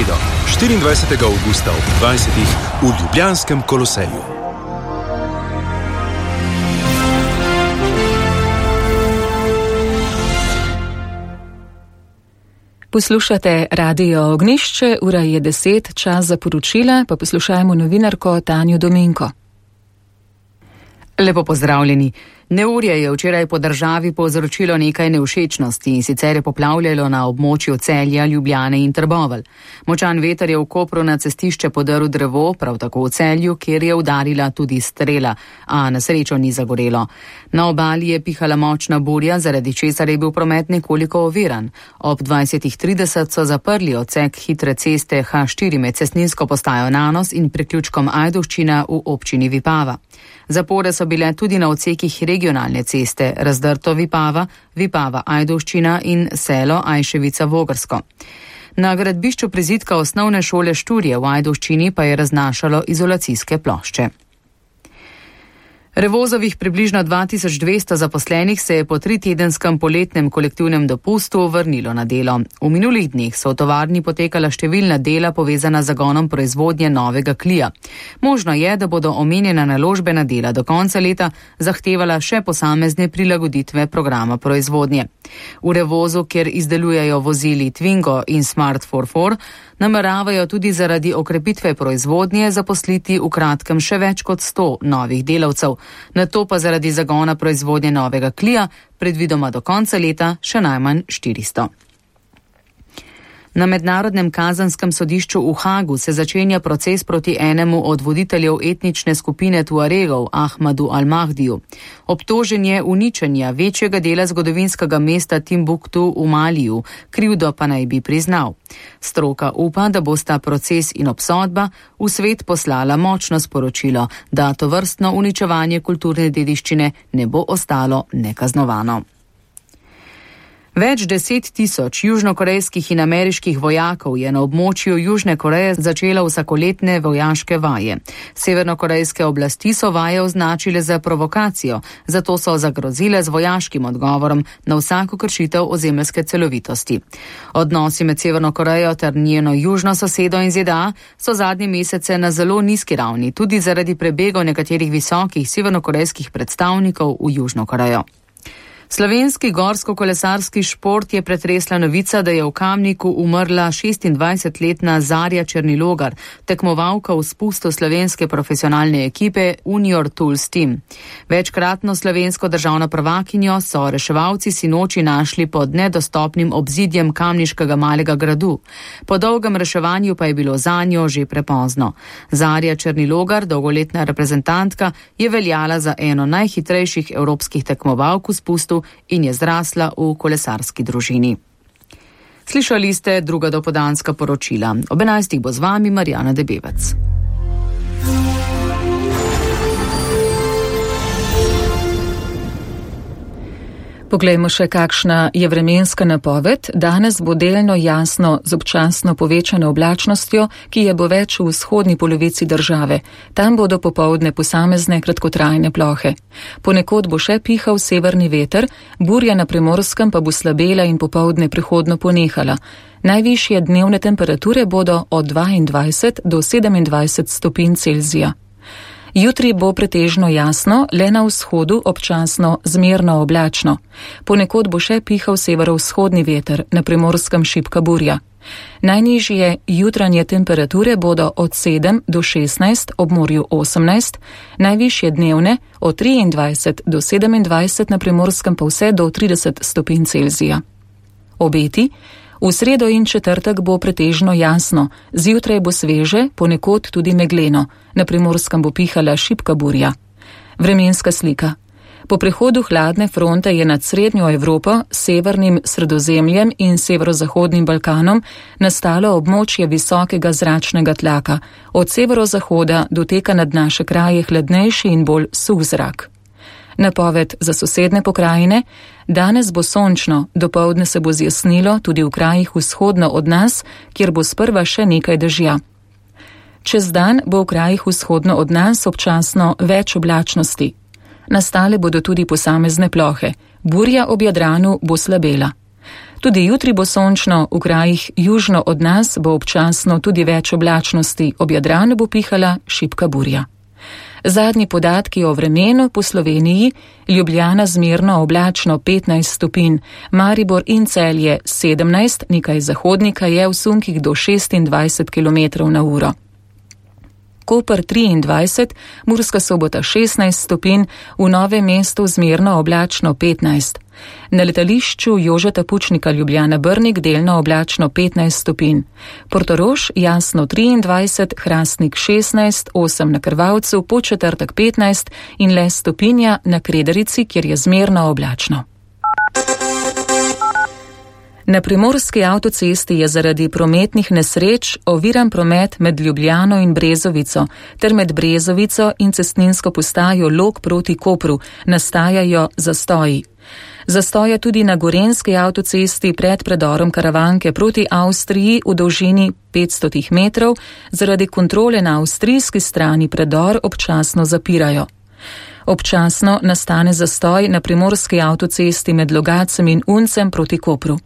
24. avgusta ob 20. v Ljubljanskem Koloseju. Poslušate Radio Ognjišče, ura je 10, čas za poročila, pa poslušajmo novinarko Tanjo Dominko. Lepo pozdravljeni. Neurje je včeraj po državi povzročilo nekaj nevšečnosti in sicer je poplavljalo na območju Celja, Ljubljane in Trbovelj. Močan veter je v Kopru na cestišče podrl drevo, prav tako v Celju, kjer je udarila tudi strela, a na srečo ni zagorelo. Na obali je pihala močna burja, zaradi česar je bil promet nekoliko oviran. Ob 20:30 so zaprli odsek hitre ceste H4 med cestninsko postajo Nanos in priključkom Ajdovščina v občini Vipava. Zapore so bile tudi na odsekih regionalne ceste Razdrto-Vipava, Vipava-Ajdovščina in selo Ajševica-Vogrsko. Na gradbišču prizidka osnovne šole Šturje v Ajdovščini pa je raznašalo izolacijske plošče. Revozovih približno 2200 zaposlenih se je po 3-tedenskem poletnem kolektivnem dopustu vrnilo na delo. V minulih dneh so v tovarni potekala številna dela povezana z zagonom proizvodnje novega klija. Možno je, da bodo omenjena naložbena dela do konca leta zahtevala še posamezne prilagoditve programa proizvodnje. V Revozu, kjer izdelujejo vozili Twingo in Smart 44, nameravajo tudi zaradi okrepitve proizvodnje zaposliti v kratkem še več kot 100 novih delavcev, nato pa zaradi zagona proizvodnje novega klija predvidoma do konca leta še najmanj 400. Na Mednarodnem kazanskem sodišču v Hagu se začenja proces proti enemu od voditeljev etnične skupine Tuaregov, Ahmadu Al-Mahdiju. Obtožen je uničenja večjega dela zgodovinskega mesta Timbuktu v Maliju, krivdo pa naj bi priznal. Stroka upa, da bosta proces in obsodba v svet poslala močno sporočilo, da tovrstno uničevanje kulturne dediščine ne bo ostalo nekaznovano. Več 10 000 južnokorejskih in ameriških vojakov je na območju Južne Koreje začelo vsakoletne vojaške vaje. Severnokorejske oblasti so vaje označile za provokacijo, zato so zagrozile z vojaškim odgovorom na vsako kršitev ozemeljske celovitosti. Odnosi med Severno Korejo ter njeno južno sosedo in ZDA so zadnje mesece na zelo nizki ravni, tudi zaradi prebegov nekaterih visokih severnokorejskih predstavnikov v Južno Korejo. Slovenski gorsko-kolesarski šport je pretresla novica, da je v Kamniku umrla 26-letna Zarja Černilogar, tekmovalka v spustu slovenske profesionalne ekipe Unior Tools Team. Večkratno slovensko državno prvakinjo so reševalci sinoči našli pod nedostopnim obzidjem kamniškega malega gradu. Po dolgem reševanju pa je bilo zanjo že prepozno. Zarja Černilogar, dolgoletna reprezentantka, je veljala za eno najhitrejših evropskih tekmovalk v spustu in je zrasla v kolesarski družini. Slišali ste druga dopoldanska poročila. Ob 11. bo z vami Marjana Debevec. Poglejmo še, kakšna je vremenska napoved. Danes bo delno jasno z občasno povečano oblačnostjo, ki je bo več v vzhodni polovici države. Tam bodo popoldne posamezne kratkotrajne plohe. Ponekod bo še pihal severni veter, burja na Primorskem pa bo slabela in popoldne prehodno ponehala. Najvišje dnevne temperature bodo od 22 do 27 stopinj Celzija. Jutri bo pretežno jasno, le na vzhodu občasno zmerno oblačno. Ponekod bo še pihal severovzhodni veter, na Primorskem šibka burja. Najnižje jutranje temperature bodo od 7 do 16, ob morju 18, najvišje dnevne od 23 do 27, na Primorskem pa vse do 30 stopinj Celzija. Obeti. V sredo in četrtek bo pretežno jasno, zjutraj bo sveže, ponekod tudi megleno, na Primorskem bo pihala šibka burja. Vremenska slika. Po prehodu hladne fronte je nad srednjo Evropo, severnim Sredozemljem in severozahodnim Balkanom nastalo območje visokega zračnega tlaka. Od severozahoda doteka nad naše kraje hladnejši in bolj suh zrak. Napoved za sosedne pokrajine. Danes bo sončno, dopoldne se bo zjasnilo tudi v krajih vzhodno od nas, kjer bo sprva še nekaj dežja. Čez dan bo v krajih vzhodno od nas občasno več oblačnosti. Nastale bodo tudi posamezne plohe. Burja ob Jadranu bo slabela. Tudi jutri bo sončno, v krajih južno od nas bo občasno tudi več oblačnosti, ob Jadranu bo pihala šibka burja. Zadnji podatki o vremenu po Sloveniji: Ljubljana zmerno oblačno 15 stopinj, Maribor in Celje 17, nekaj zahodnika je v sunkih do 26 km/h. Koper 23, Murska Sobota 16 stopinj, v Novem mestu zmerno oblačno 15. Na letališču Jožeta Pučnika Ljubljana-Brnik delno oblačno 15 stopinj. Portorož jasno 23, Hrastnik 16, 8 na Krvavcu, Podčetrtek 15 in le stopinja na Krederici, kjer je zmerno oblačno. Na primorski avtocesti je zaradi prometnih nesreč oviran promet med Ljubljano in Brezovico ter med Brezovico in cestninsko postajo Log proti Kopru nastajajo zastoji. Zastoja tudi na gorenjski avtocesti pred predorom Karavanke proti Avstriji v dolžini 500 metrov, zaradi kontrole na avstrijski strani predor občasno zapirajo. Občasno nastane zastoj na primorski avtocesti med Logacem in Uncem proti Kopru.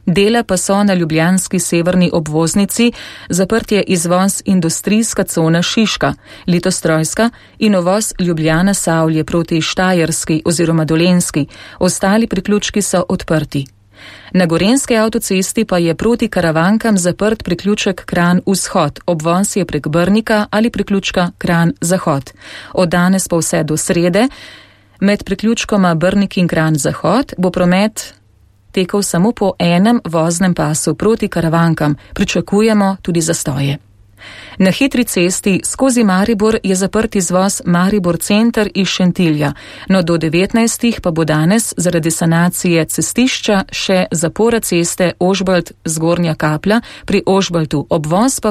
Dela pa so na ljubljanski severni obvoznici, zaprt je izvoz industrijska cona Šiška, Litostrojska in uvoz Ljubljana-Savlje proti Štajerski oziroma Dolenjski, ostali priključki so odprti. Na gorenjski avtocesti pa je proti Karavankam zaprt priključek Kranj-Vzhod, obvoz je prek Brnika ali priključka Kranj-Zahod. Od danes pa vse do srede, med priključkoma Brnik in Kranj-Zahod bo promet tekel samo po enem voznem pasu proti Karavankam, pričakujemo tudi zastoje. Na hitri cesti skozi Maribor je zaprt izvoz Maribor center iz Šentilja, no do 19. pa bo danes zaradi sanacije cestišča še zapora ceste Ožbalt-Zgornja Kapla pri Ožbaltu, obvoz pa